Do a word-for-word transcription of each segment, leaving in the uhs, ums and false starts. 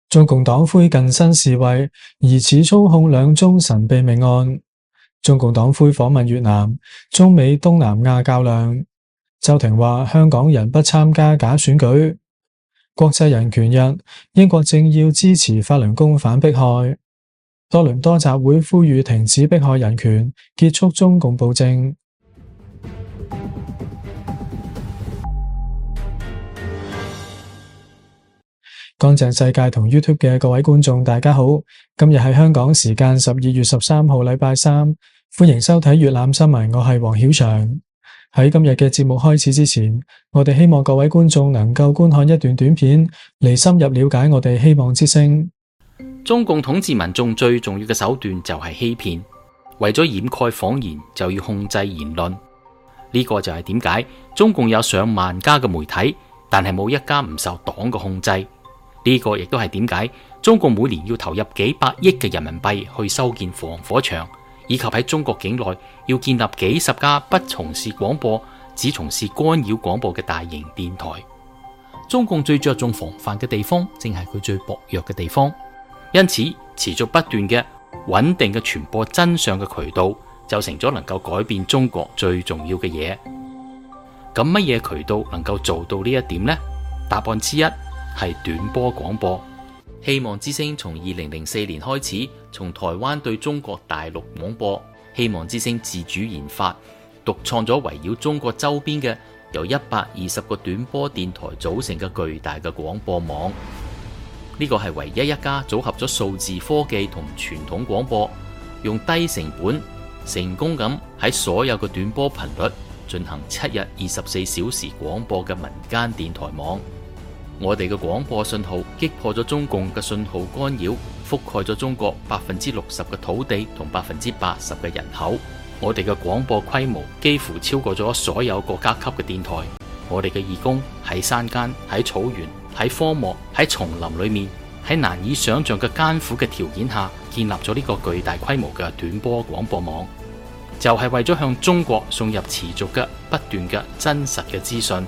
中共黨魁近身示威，疑似操控兩宗神秘命案。中共黨魁訪問越南，中美東南亞較量。周庭話香港人不參加假選舉。國際人權日，英國政要支持法輪功反迫害。多倫多集會呼籲停止迫害人權，結束中共暴政。乾淨世界同 YouTube 嘅各位觀眾大家好，今日係香港時間十二月十三號禮拜三，歡迎收睇粵覽新聞，我係黃曉翔。喺今日嘅節目開始之前，我哋希望各位觀眾能夠觀看一段短片，嚟深入了解我哋希望之聲。中共統治民眾最重要嘅手段就係欺騙，為咗掩蓋謊言就要控制言論。呢個就係點解中共有上萬家嘅媒體，但係冇一家唔受黨嘅控制。呢個亦都係點解中共每年要投入幾百億嘅人民幣去修建防火牆，以及喺中國境內要建立幾十家不從事廣播，只從事干擾廣播嘅大型電台。中共最着重防範嘅地方，正係佢最薄弱嘅地方。因此，持續不斷嘅穩定嘅傳播真相嘅渠道，就成咗能夠改變中國最重要嘅嘢。咁乜嘢渠道能夠做到呢一點呢？答案之一係短波廣播。希望之聲從二零零四年開始，從台灣對中國大陸廣播。希望之聲自主研發、獨創咗圍繞中國周邊嘅由一百二十個短波電台組成嘅巨大嘅廣播網。呢個係唯一一家組合咗數字科技同傳統廣播，用低成本成功咁喺所有嘅短波頻率進行七日二十四小時廣播嘅民間電台網。我哋嘅廣播信號擊破咗中共嘅信號干擾，覆蓋咗中國百分之六十嘅土地同百分之八十嘅人口。我哋嘅廣播規模幾乎超過咗所有國家級嘅電台。我哋嘅義工喺山間、喺草原、喺荒漠、喺叢林裏面，喺難以想象嘅艱苦嘅條件下，建立咗呢個巨大規模嘅短波廣播網，就係為咗向中國送入持續嘅不斷嘅真實嘅資訊。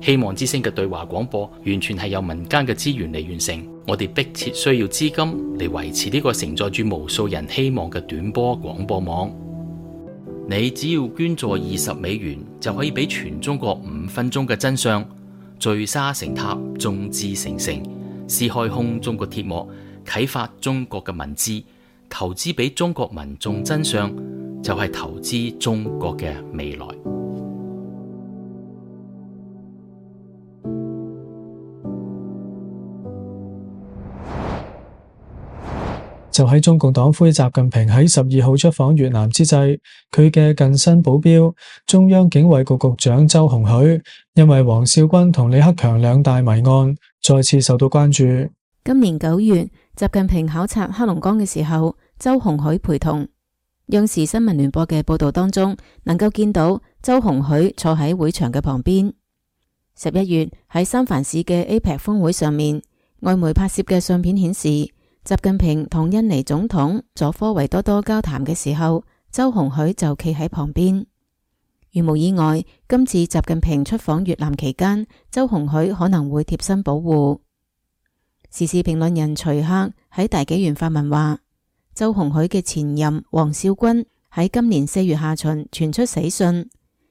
希望之聲嘅對話廣播完全係由民間嘅資源嚟完成，我哋迫切需要資金嚟維持呢個承載住無數人希望嘅短波廣播網。你只要捐助二十美元，就可以俾全中國五分鐘嘅真相，聚沙成塔，眾志成城，撕開空中嘅鐵幕，啟發中國嘅文字，投資俾中國民眾真相，就係投資中國嘅未來。就喺中共黨魁習近平喺十二號出訪越南之際，佢嘅近身保鏢中央警衛局局長周鴻許，因為王少軍同李克強兩大謎案，再次受到關注。今年九月，習近平考察黑龍江嘅時候，周鴻許陪同。央視新聞聯播嘅報道當中，能夠見到周鴻許坐喺會場嘅旁邊。十一月喺三藩市嘅 A P E C 峰會上面，外媒拍攝嘅相片顯示，習近平同印尼總統佐科維多多交談嘅時候，周鴻許就企喺旁邊。如無意外，今次習近平出訪越南期間，周鴻許可能會貼身保護。時事評論人徐克喺大紀元發文話，周鴻許嘅前任王少軍喺今年四月下旬傳出死訊，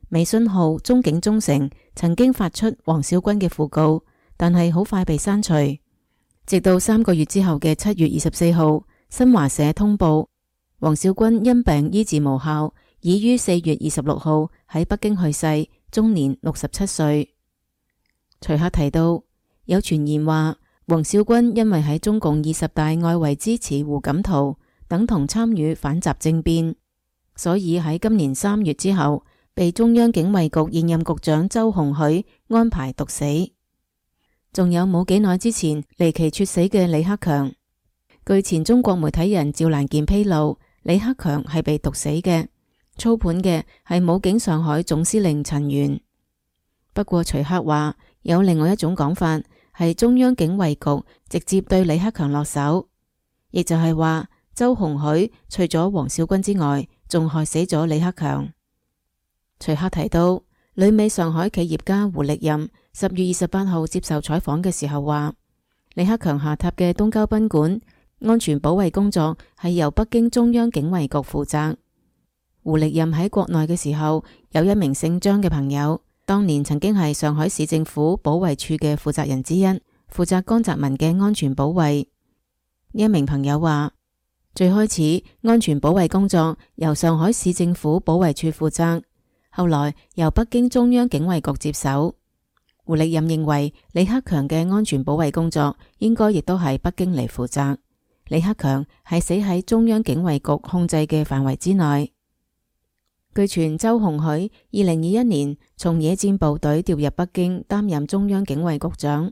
微信號中警中誠曾經發出王少軍嘅訃告，但係好快被刪除。直到三個月之後嘅七月二十四號，新華社通報王少軍因病醫治無效，已於四月二十六號喺北京去世，終年六十七歲。徐克提到，有傳言話王少軍因為喺中共二十大外圍支持胡錦濤，等同參與反習政變，所以喺今年三月之後，被中央警衛局現任局長周鴻許安排毒死。仲有冇幾耐之前離奇猝死嘅李克強，據前中國媒體人趙蘭健披露，李克強係被毒死嘅，操盤嘅係武警上海總司令陳元。不過徐克話有另外一種講法，係中央警衛局直接對李克強落手，亦就係話周鴻許除咗王少軍之外，仲害死咗李克強。徐克提到，旅美上海企業家胡力任十月二十八號接受採訪嘅時候話，李克強下榻嘅東郊賓館安全保衛工作係由北京中央警衛局負責。胡力任喺國內嘅時候，有一名姓張嘅朋友，當年曾經係上海市政府保衛處嘅負責人之一，負責江澤民嘅安全保衛。呢一名朋友話，最開始安全保衛工作由上海市政府保衛處負責，後來由北京中央警衛局接手。胡力任認為李克強嘅安全保衛工作應該亦都係北京嚟負責，李克強係死喺中央警衛局控制嘅範圍之內。據傳周鴻許二零二一年從野戰部隊調入北京擔任中央警衛局長，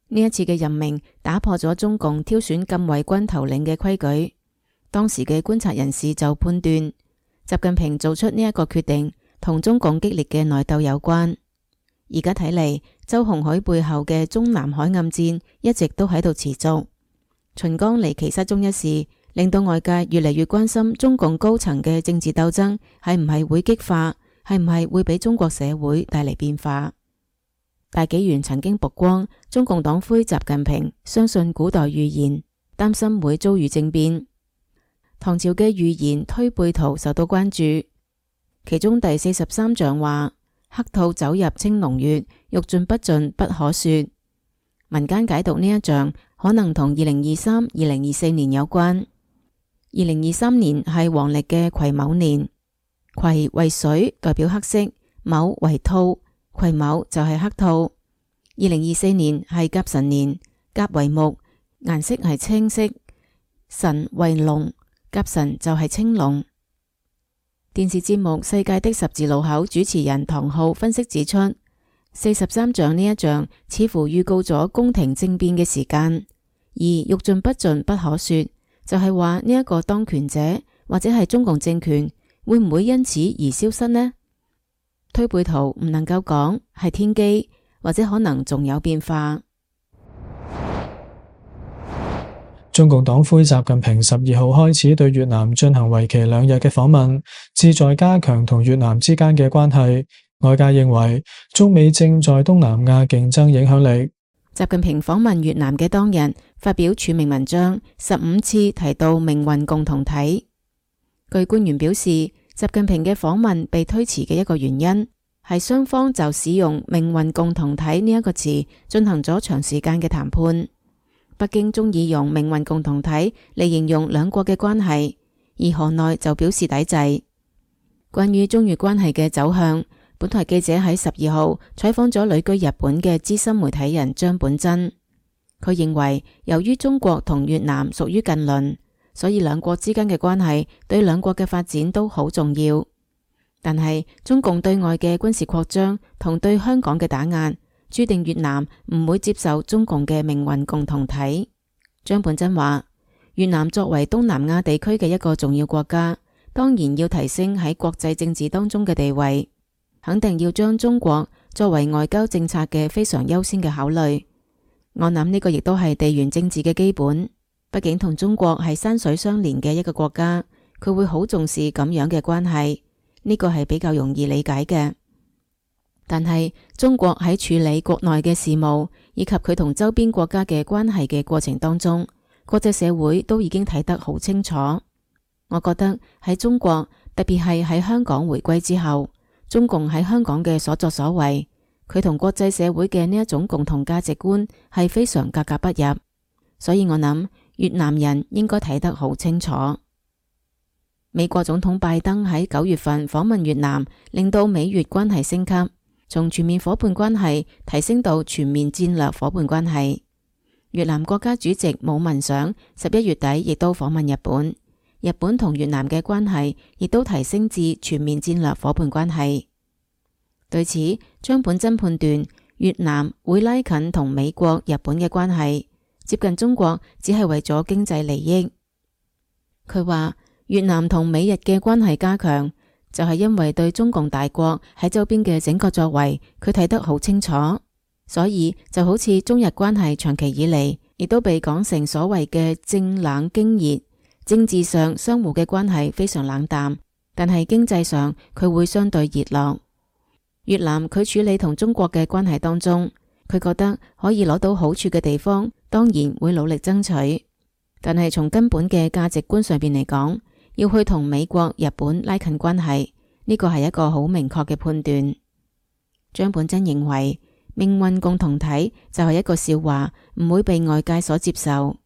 呢一次嘅任命打破咗中共挑選禁衛軍頭領嘅規矩。當時嘅觀察人士就判斷，習近平做出呢一個決定同中共激烈嘅內鬥有關。而家睇嚟，周鴻許背後嘅中南海暗戰一直都喺度持續。秦剛離奇失蹤一事，令到外界越嚟越關心中共高層嘅政治鬥爭係唔係會激化，係唔係會俾中國社會帶嚟變化。大紀元曾經曝光中共黨魁習近平相信古代預言，擔心會遭遇政變。唐朝嘅預言推背圖受到關注，其中第四十三象話，黑兔走入青龍穴，欲盡不盡不可說。民間解讀呢一象可能同二零二三、二零二四年有關。二零二三年係黃曆嘅癸卯年，癸為水，代表黑色；卯為兔，癸卯就係黑兔。二零二四年係甲辰年，甲為木，顏色係青色；辰為龍，甲辰就係青龍。電視節目《世界的十字路口》主持人唐浩分析指出，四十三象呢一象似乎預告咗宮廷政變嘅時間，而欲盡不盡不可說，就係話呢一個當權者或者係中共政權會唔會因此而消失呢？推背圖唔能夠講係天機，或者可能仲有變化。中共黨魁習近平十二號開始對越南進行為期兩日嘅訪問，旨在加強同越南之間嘅關係。外界認為中美正在東南亞競爭影響力。習近平訪問越南嘅當日發表署名文章，十五次提到命運共同體。據官員表示，習近平嘅訪問被推遲嘅一個原因係雙方就使用命運共同體呢一個詞進行咗長時間嘅談判。北京中意用命運共同體嚟形容兩國嘅關係，而河內就表示抵制。關於中越關係嘅走向，本台記者喺十二號採訪咗旅居日本嘅資深媒體人張本真。佢認為，由於中國同越南屬於近鄰，所以兩國之間嘅關係對兩國嘅發展都好重要。但係中共對外嘅軍事擴張同對香港嘅打壓，注定越南唔會接受中共嘅命運共同體。張本真話，越南作為東南亞地區嘅一個重要國家，當然要提升喺國際政治當中嘅地位，肯定要將中國作為外交政策嘅非常優先嘅考慮。我諗呢個亦都係地緣政治嘅基本，畢竟同中國係山水相連嘅一個國家，佢會好重視咁樣嘅關係，呢個係比較容易理解嘅。但係中國喺處理國內嘅事務以及佢同周邊國家嘅關係嘅過程當中，國際社會都已經睇得好清楚。我覺得喺中國，特別係喺香港回歸之後，中共喺香港嘅所作所為，佢同國際社會嘅呢一種共同價值觀係非常格格不入。所以我諗越南人應該睇得好清楚。美國總統拜登喺九月份訪問越南，令到美越關係升級，從全面夥伴關係提升到全面戰略夥伴關係。越南國家主席武文賞十一月底亦都訪問日本，日本同越南嘅關係亦都提升至全面戰略夥伴關係。對此，張本真判斷越南會拉近同美國、日本嘅關係，接近中國只係為咗經濟利益。佢話越南同美日嘅關係加強，就係因為對中共大國喺周邊嘅整個作為，佢睇得好清楚，所以就好似中日關係長期以嚟，亦都被講成所謂嘅政冷經熱。政治上相互嘅關係非常冷淡，但係經濟上佢會相對熱絡。越南佢處理同中國嘅關係當中，佢覺得可以攞到好處嘅地方，當然會努力爭取，但係從根本嘅價值觀上邊嚟講，要去同美國、日本拉近關係，呢個係一個好明確嘅判斷。張本珍認為命運共同體就係一個笑話，唔會被外界所接受。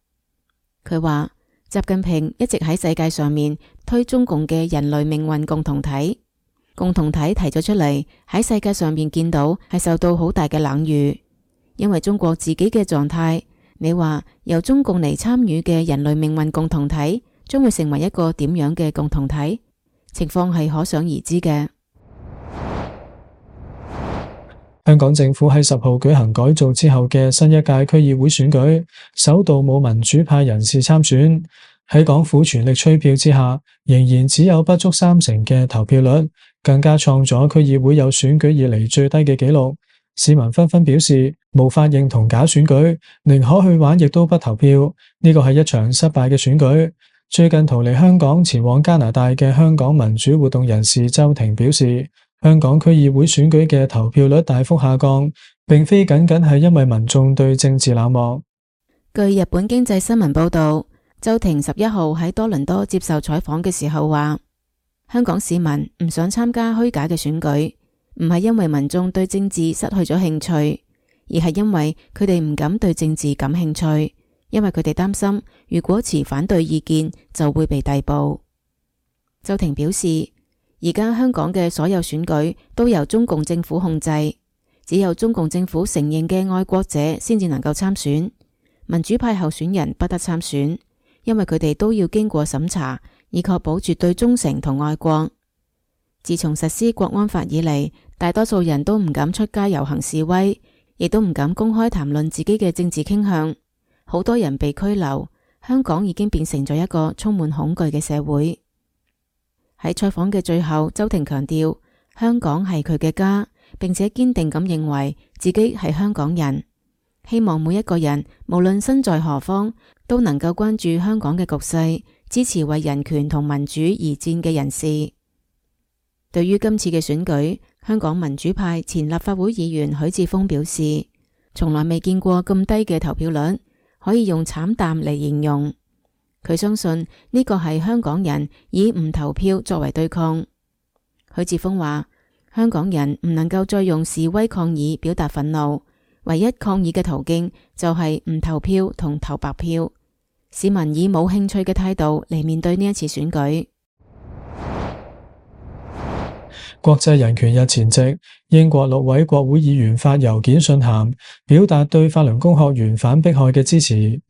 佢話習近平一直喺世界上面推中共嘅人類命運共同體，共同體提咗出嚟，喺世界上面見到係受到好大嘅冷遇，因為中國自己嘅狀態，你話由中共嚟參與嘅人類命運共同體將會成為一個點樣嘅共同體？情況係可想而知嘅。香港政府喺十號舉行改造之後嘅新一屆區議會選舉，首度冇民主派人士參選。喺港府全力催票之下，仍然只有不足三成嘅投票率，更加創咗區議會有選舉以嚟最低嘅紀錄。市民紛紛表示無法認同假選舉，寧可去玩亦都不投票。呢個係一場失敗嘅選舉。最近逃離香港前往加拿大嘅香港民主活動人士周庭表示，香港區議會選舉嘅投票率大幅下降，並非僅僅係因為民眾對政治冷漠。據日本經濟新聞報道，周庭十一號喺多倫多接受採訪嘅時候話，香港市民唔想參加虛假嘅選舉，唔係因為民眾對政治失去咗興趣，而係因為佢哋唔敢對政治感興趣，因為佢哋擔心如果持反對意見就會被逮捕。周庭表示，而家香港嘅所有選舉都由中共政府控制，只有中共政府承認嘅愛國者先至能夠參選，民主派候選人不得參選，因為佢哋都要經過審查，以確保絕對忠誠同愛國。自從實施國安法以嚟，大多數人都唔敢出街遊行示威，亦都唔敢公開談論自己嘅政治傾向，好多人被拘留，香港已經變成咗一個充滿恐懼嘅社會。喺採訪嘅最後，周庭強調香港係佢嘅家，並且堅定咁認為自己係香港人，希望每一個人無論身在何方都能夠關注香港嘅局勢，支持為人權同民主而戰嘅人士。對於今次嘅選舉，香港民主派前立法會議員許智峰表示，從來未見過咁低嘅投票率，可以用慘淡嚟形容。佢相信呢個係香港人以唔投票作為對抗。許智峰話，香港人唔能夠再用示威抗議表達憤怒，唯一抗議嘅途徑就係唔投票同投白票。市民以冇興趣嘅態度嚟面對呢一次選舉。國際人權日前夕，英國六位國會議員發郵件信函，表達對法輪功學員反迫害嘅支持。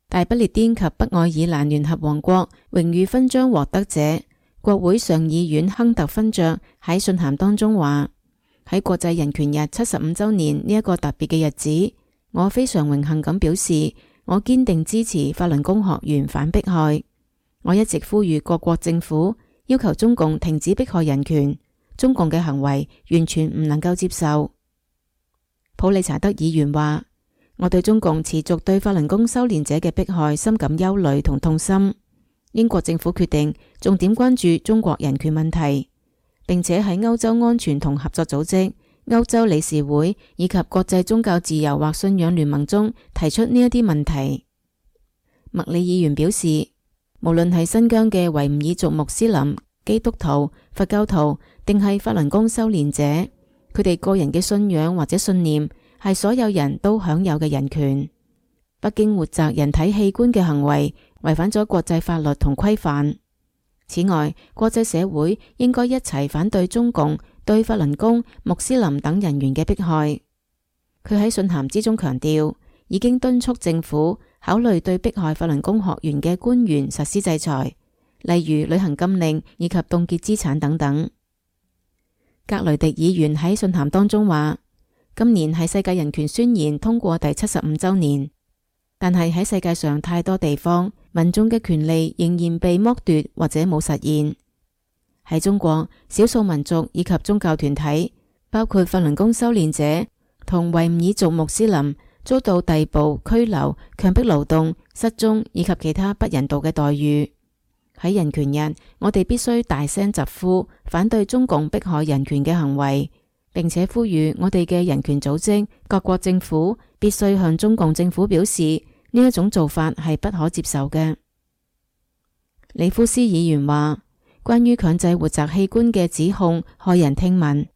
大不列顛及北愛爾蘭聯合王國榮譽勳章獲得者，國會上議院亨特勳爵喺信函當中話，喺國際人權日七十五周年呢一個特別嘅日子，我非常榮幸咁表示，我堅定支持法輪功學員反迫害。我一直呼籲各國政府要求中共停止迫害人權，中共嘅行為完全唔能夠接受。普利查德議員話，我對中共持續對法輪功修煉者嘅迫害深感憂慮同痛心。英國政府決定重點關注中國人權問題，並且喺歐洲安全同合作組織、歐洲理事會以及國際宗教自由或信仰聯盟中提出呢一啲問題。麥理議員表示，無論係新疆嘅維吾爾族穆斯林、基督徒、佛教徒，定係法輪功修煉者，佢哋個人嘅信仰或者信念係所有人都享有嘅人權。北京活摘人體器官嘅行為違反咗國際法律同規範。此外，國際社會應該一齊反對中共對法輪功、穆斯林等人員嘅迫害。佢喺信函之中強調，已經敦促政府考慮對迫害法輪功學員嘅官員實施制裁，例如履行禁令以及凍結資產等等。格雷迪議員喺信函當中話，今年係世界人權宣言通過第七十五周年，但係喺世界上太多地方，民眾嘅權利仍然被剝奪或者冇實現。喺中國，少數民族以及宗教團體，包括法輪功修煉者同維吾爾族穆斯林，遭到逮捕、拘留、強迫勞動、失蹤以及其他不人道嘅待遇。喺人權日，我哋必須大聲疾呼，反對中共迫害人權嘅行為，並且呼籲我哋嘅人權組織、各國政府必須向中共政府表示呢一種做法係不可接受嘅。里夫斯議員話，關於強制活摘器官嘅指控駭人聽聞，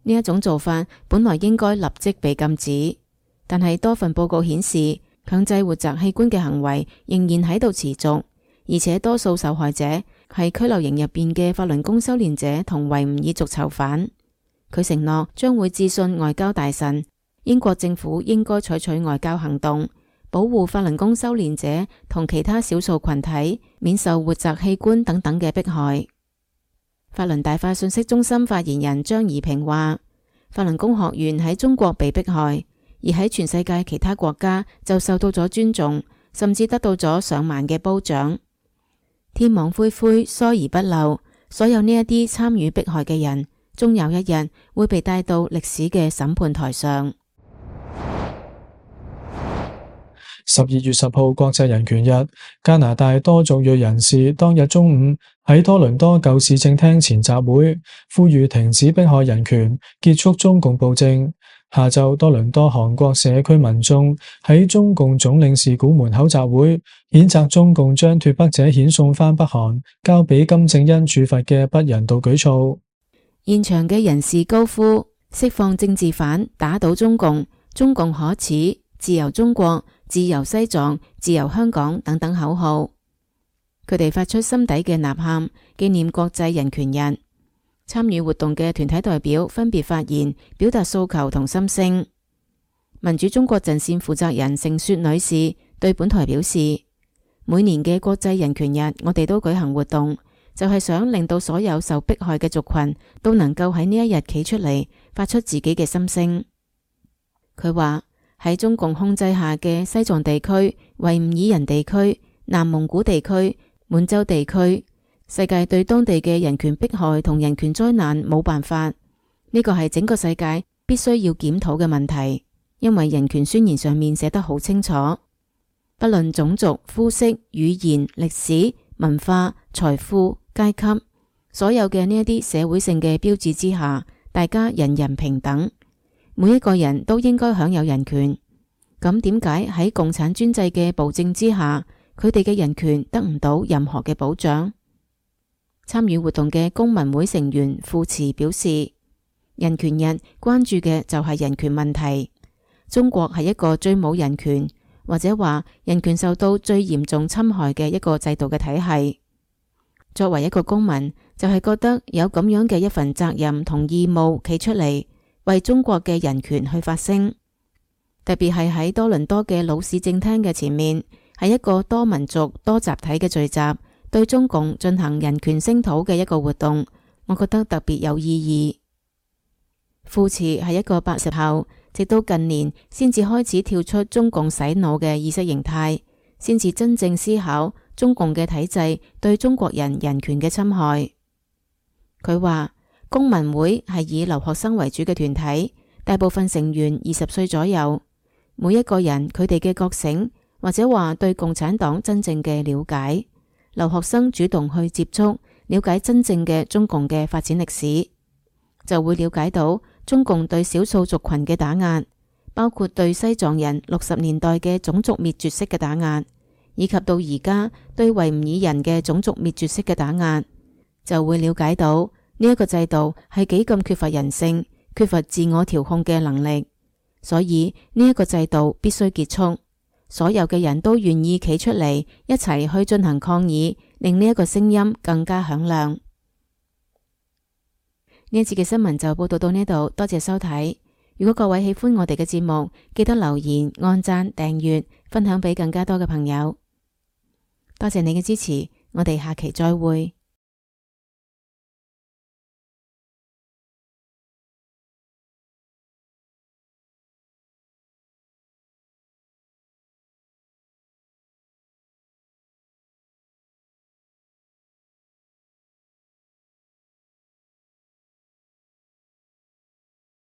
呢一種做法本來應該立即被禁止，但係多份報告顯示，強制活摘器官嘅行為仍然喺度持續，而且多數受害者係拘留營入邊嘅法輪功修煉者同維吾爾族囚犯。佢承諾將會致信外交大臣，英國政府應該採取外交行動，保護法輪功修煉者同其他少數群體免受活摘器官等等嘅迫害。法輪大法信息中心發言人張怡平話，法輪功學員喺中國被迫害，而喺全世界其他國家就受到咗尊重，甚至得到咗上萬嘅褒獎。天網恢恢，疏而不漏，所有呢一啲參與迫害嘅人，終有一日會被帶到歷史嘅審判台上。十二月十號國際人權日，加拿大多族裔人士當日中午喺多倫多舊市政廳前集會，呼籲停止迫害人權，結束中共暴政。下晝，多倫多韓國社區民眾喺中共總領事館門口集會，譴責中共將脫北者遣送返北韓，交俾金正恩處罰嘅不人道舉措。現場嘅人士高呼釋放政治犯，打倒中共，中共可恥，自由中國，自由西藏，自由香港等等口號。佢哋發出心底嘅吶喊，紀念國際人權日。參與活動嘅團體代表分別發言，表達訴求同心聲。民主中國陣線負責人盛雪女士對本台表示，每年嘅國際人權日，我哋都舉行活動，就係想令到所有受迫害嘅族群都能夠喺呢一日企出嚟，發出自己嘅心聲。佢話喺中共控制下嘅西藏地區、維吾爾人地區、南蒙古地區、滿洲地區，世界對當地嘅人權迫害同人權災難冇辦法，呢個係整個世界必須要檢討嘅問題，因為人權宣言上面寫得好清楚，不論種族、膚色、語言、歷史、文化、財富、階級，所有嘅呢一啲社會性嘅標誌之下，大家人人平等，每一個人都應該享有人權。咁點解喺共產專制嘅暴政之下，佢哋嘅人權得唔到任何嘅保障？參與活動嘅公民會成員傅慈表示，人權日關注嘅就係人權問題。中國係一個最冇人權，或者話人權受到最嚴重侵害嘅一個制度嘅體系。作為一個公民，就係覺得有咁樣嘅一份責任同義務，企出嚟為中國嘅人權去發聲。特別係喺多倫多嘅老市政廳嘅前面，係一個多民族多集體嘅聚集，對中共進行人權聲討嘅一個活動，我覺得特別有意義。傅慈係一個八十後，直到近年先至開始跳出中共洗腦嘅意識形態，先至真正思考中共嘅體制對中國人人權嘅侵害。佢話公民會係以留學生為主嘅團體，大部分成員二十歲左右，每一個人佢哋嘅覺醒，或者話對共產黨真正嘅了解。留學生主動去接觸，了解真正嘅中共嘅發展歷史，就會了解到中共對少數族群嘅打壓，包括對西藏人六十年代嘅種族滅絕式嘅打壓，以及到而家對維吾爾人嘅種族滅絕式嘅打壓，就會了解到呢一個制度係幾咁缺乏人性，缺乏自我調控嘅能力。所以呢一個制度必須結束。所有嘅人都願意企出嚟，一齊去進行抗議，令呢一個聲音更加響亮。呢一次嘅新聞就報道到呢度，多謝收睇。如果各位喜歡我哋嘅節目，記得留言、按讚、訂閱、分享俾更加多嘅朋友。多謝你嘅支持，我哋下期再會。